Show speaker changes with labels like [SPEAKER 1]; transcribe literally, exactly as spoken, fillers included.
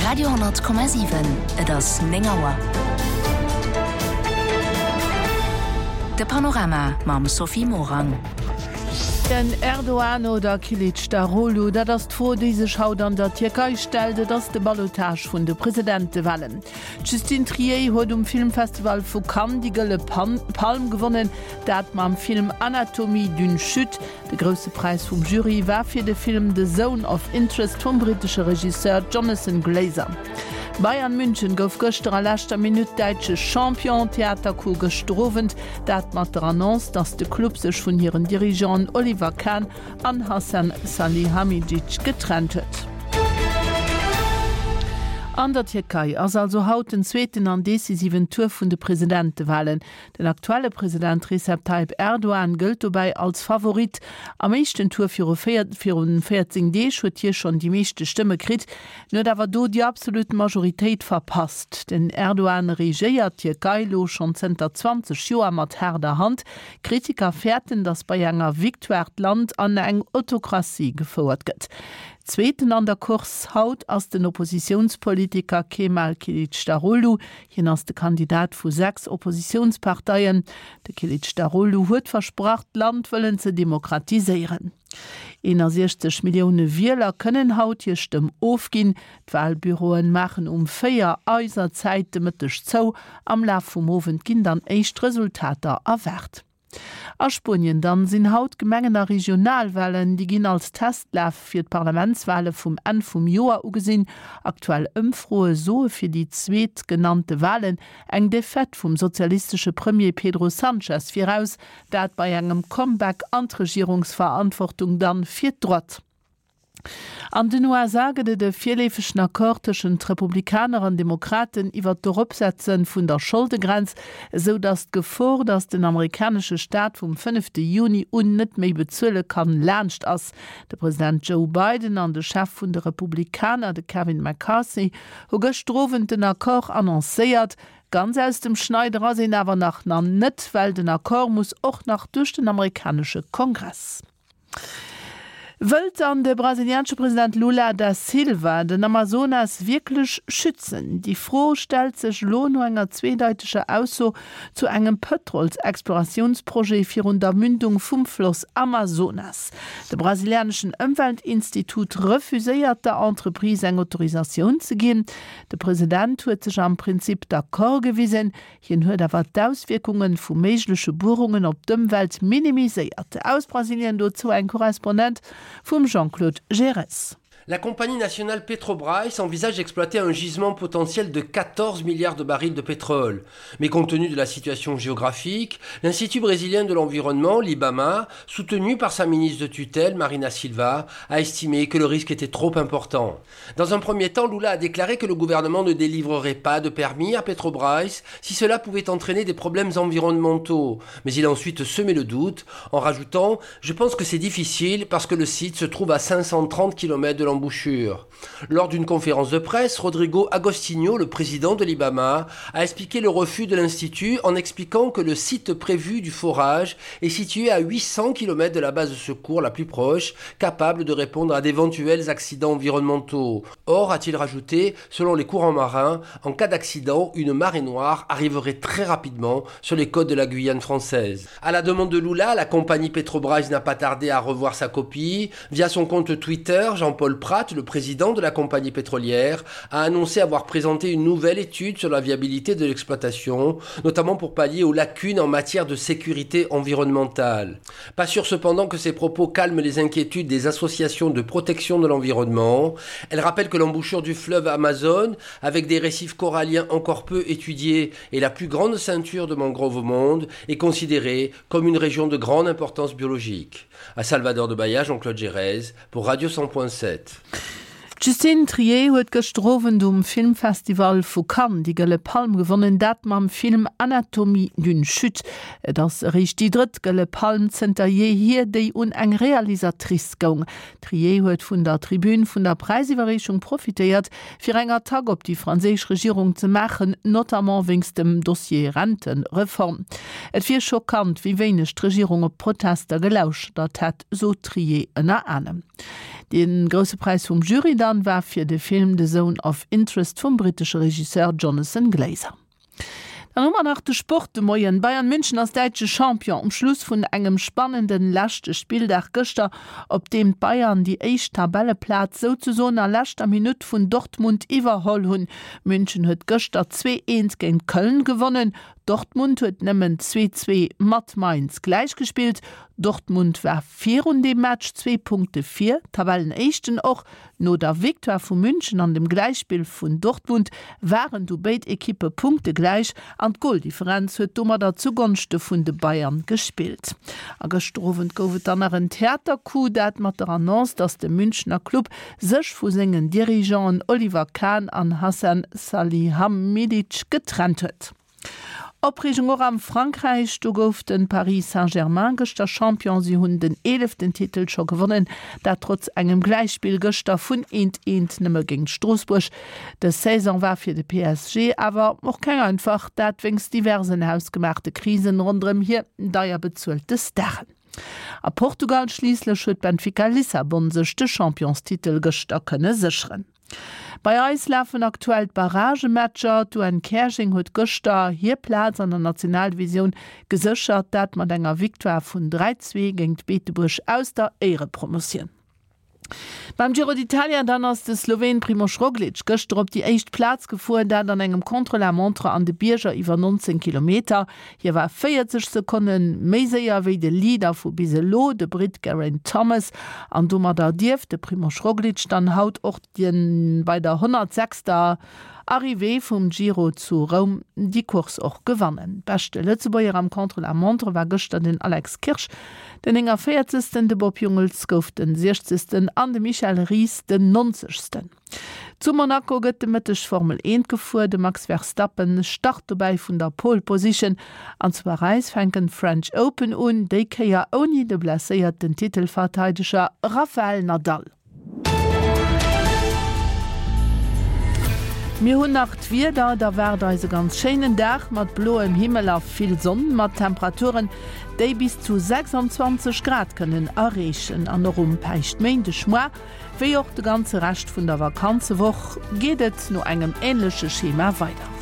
[SPEAKER 1] Radio honnert Komma siwen, Et ass néng Auer. De Panorama mam Sophie Morang.
[SPEAKER 2] Den Erdogan oder Kilicdaroglu, dat ass d'Fro, déi sech haut an der Tierkei stellt. Et ass de Ballotage vun de Presidentewalen. D'Justine Triet huet um Filmfestival vu Cannes déi Gëlle Palm gewonnen, dat mam Film Anatomie d'une chute. De grousse Präis vum Jury war fir de Film The Zone of Interest vum brittesche Regisseur Jonathan Glazer. Bayern München gouf gëschter a leschter Minutt däitsche Champion. Theatercoup gëschter Owend, dat mat der Annonce, datt de Club sech vun hiren Dirigeanten Oliver Kahn an Hasan Salihamidzic getrennt huet. An der Tierkei ass also haut den zweeten an decisiven Tour vun de Presidentewalen. Den aktuelle President Recep Tayyip Erdogan gëllt dobäi als Favorit. Am éischten Tour viru virun véierzéng Deeg huet hie schonn déi meeschte Stëmme kritt, en huet awer do déi absolut Majoritéit verpasst. Den Erdogan regéiert d'Tierkei elo schonn zënter zwanzeg Joer mat haarder Hand. Kritiker fäerten, datt bei enger Victoire d'Land an eng Autokratie gefouert gëtt. Zweeten an der Course haut ass den Oppositiounspolitiker Kemal Kilicdaroglu. Hien ass de Kandidat vu sechs Oppositiounsparteien. De Kilicdaroglu huet versprach, d'Land wëllen ze demokratiséieren. eenasiechzeg Millioune Wieler kënnen haut hir Stëmm ofginn. D'Walbüroen maachen um véier eiser Zäit de Mëtteg zou. Am Laf vum Owend ginn dann éischt Resultater erwaart. A Spuenien dann sinn haut Gemengen a Regionalwalen. Déi ginn als Testlaf fir d'Parlamentswale vum Enn vum Joer ugesinn. Aktuell Ëmfroe soe fir déi zweet genannte Walen eng Defaite vum sozialistesche Premier Pedro Sanchez viraus, dat bei engem Comeback an d'Regierungsverantwortung dann fir d'Droite. An den U S A gëtt et e virleefegen Accord tëschent Republikaner an Demokraten iwwer d'Eropsetze vun der Scholdegrenz, esou datt d'Gefor, datt den amerikanesche Staat vum fënnefte Juni un net méi bezuele kann, laanscht ass. De President Joe Biden an de Chef vun de Republikaner, de Kevin McCarthy, hu gëschter Owend den Accord annoncéiert. Ganz aus dem Schneider ass een awer nach net, well den Accord muss och nach duerch den amerikanesche Kongress. Wëllt dann de brasilianesche President Lula da Silva den Amazonas wierklech schützen? Déi Fro stellt sech elo no enger zweedeiteger Ausso zu engem Pëtrolsexploratiounsprojet virun der Mündung vum Floss Amazonas. De brasilianeschen Ëmweltinstitut refuséiert der Entreprise eng Autorisatioun ze ginn. De President huet sech am Prinzip d'accord gewisen, hien huet awer d'Auswierkunge vu méigleche Buerungen op d'Ëmwelt minimiséiert. Aus Brasilien dozou eng Korrespondent vum Jean-Claude Gerez.
[SPEAKER 3] La compagnie nationale Petrobras envisage d'exploiter un gisement potentiel de quatorze milliards de barils de pétrole. Mais compte tenu de la situation géographique, l'Institut brésilien de l'environnement, l'IBAMA, soutenu par sa ministre de tutelle, Marina Silva, a estimé que le risque était trop important. Dans un premier temps, Lula a déclaré que le gouvernement ne délivrerait pas de permis à Petrobras si cela pouvait entraîner des problèmes environnementaux. Mais il a ensuite semé le doute en rajoutant « Je pense que c'est difficile parce que le site se trouve à cinq cent trente kilomètres de l'embouchure. Lors d'une conférence de presse, Rodrigo Agostinho, le président de l'IBAMA, a expliqué le refus de l'institut en expliquant que le site prévu du forage est situé à huit cents kilomètres de la base de secours la plus proche, capable de répondre à d'éventuels accidents environnementaux. Or, a-t-il rajouté, selon les courants marins, en cas d'accident, une marée noire arriverait très rapidement sur les côtes de la Guyane française. À la demande de Lula, la compagnie Petrobras n'a pas tardé à revoir sa copie. Via son compte Twitter, Jean-Paul Pratt, le président de la compagnie pétrolière, a annoncé avoir présenté une nouvelle étude sur la viabilité de l'exploitation, notamment pour pallier aux lacunes en matière de sécurité environnementale. Pas sûr cependant que ces propos calment les inquiétudes des associations de protection de l'environnement. Elle rappelle que l'embouchure du fleuve Amazon, avec des récifs coralliens encore peu étudiés et la plus grande ceinture de mangroves au monde, est considérée comme une région de grande importance biologique. À Salvador de Bahia, Jean-Claude Gérez pour Radio cent point sept.
[SPEAKER 2] D'Justine Triet huet gëschter Owend um Filmfestival vu Cannes déi Gëlle Palm gewonnen, dat mam Film Anatomie d'une chute. Et ass eréischt déi drëtt Gëlle Palm zënter jeehier, déi un eng Realisatrice goung. D'Triet huet vun der Tribün vun der Präisiwwerreechung profitéiert, fir eng Attack op déi franséisch Regierung ze maachen, notamment wéinst dem Dossier Rentereform. Et wier schockant, wéi wéineg d'Regierung op d'Protester gelauschtert hätt, sot d'Triet ënner anerem. De Grousse Präis vum Jury dann war fir de Film The Zone of Interest vum brittesche Regisseur Jonathan Glazer. Dann hu mer nach de Sport de Moien. Bayern München ass däitsche Champion um Schluss vun engem spannende leschte Spilldag gëschter, op deem d'Bayern déi éischt Tabelleplaz souzesoen a leschter Minutt vun Dortmund iwwerholl hunn. München huet gëschter zwee eent géint Köln gewonnen, Dortmund huet nëmmen zwee zwee mat Mainz gläichgespillt. Dortmund war virun deem Match zwee Punkte vir, Tabellenéischten. Och no der Victoire vu München an dem Gläichspill vun Dortmund waren du béid Ekippe punktegläich an d'Goldifferenz huet domadder zugonschte vun de Bayern gespillt. A gëschter Owend gouf et dann nach en Theatercoup, dat mat der Annonce, datt de Münchner Club sech vu sengen Dirigeanten Oliver Kahn an Hasan Salihamidzic getrennt huet. Opreegung och am Frankräich, do gouf de Paris Saint-Germain gëschter Champion. Si hunn den eeleften Titel scho gewonnen, dat trotz engem Gläichspill gëschter vun eent eent nëmme géint Stroossbuerg. Dës Saison war fir de P S G awer och keng einfach, dat wéinst diversen hausgemaachte Krisen ronderëm hir deier bezuelte Staren. A Portugal schliisslech huet Benfica Lissabon sech de Championstitel gëschter kënne sécheren. Bei eis lafen aktuell d'Barragematcher. D'U N Käerjeng huet gëschter hir Plaz an der Nationaldivisioun geséchert, dat mat enger Victoire vun dräi zwee géint Beetebuerg aus der Éierepromotioun. Beim Giro d'Italia dann ass de Sloween Primož Roglič gëschter op déi éischt Plaz gefuer, dat an engem Contre-la-montre an de Bierger iwwer nonzéng Kilometer. Hie war véierzeg Sekonne méi séier wéi de Leader vu bis elo, de Britt Geraint Thomas. An domadder dierft de Primož Roglič dann haut och bei der honnertsechster Arrivée vum Giro zu Roum déi Course och gewannen. Beschte Lëtzebuerger am Contre-la-montre war gëschter den Alex Kirsch, den néngëvéierzegsten, de Bob Jungels gouf den siechzegsten an de Michel Ries den nonzegsten. Zu Monaco gëtt de Mëtteg Formel eent gefuer, de Max Verstappen start dobäi vun der Pole Position an zu Paräis fänken d'French Open un, déi Kéier ouni de blesséierten Titelverteideger Rafael Nadal. Mir hunn nach d'Wieder, Et erwaart eis e ganz schéinen Dag mat bloem Himmel a vill Sonn, mat Temperaturen, déi bis zu sechsanzwanzeg Grad kënnen erreechen. An och um Päischtméindegmoie wéi och de ganze Rescht vun der Vakanzewoch geet et no engem änleche Schema weider.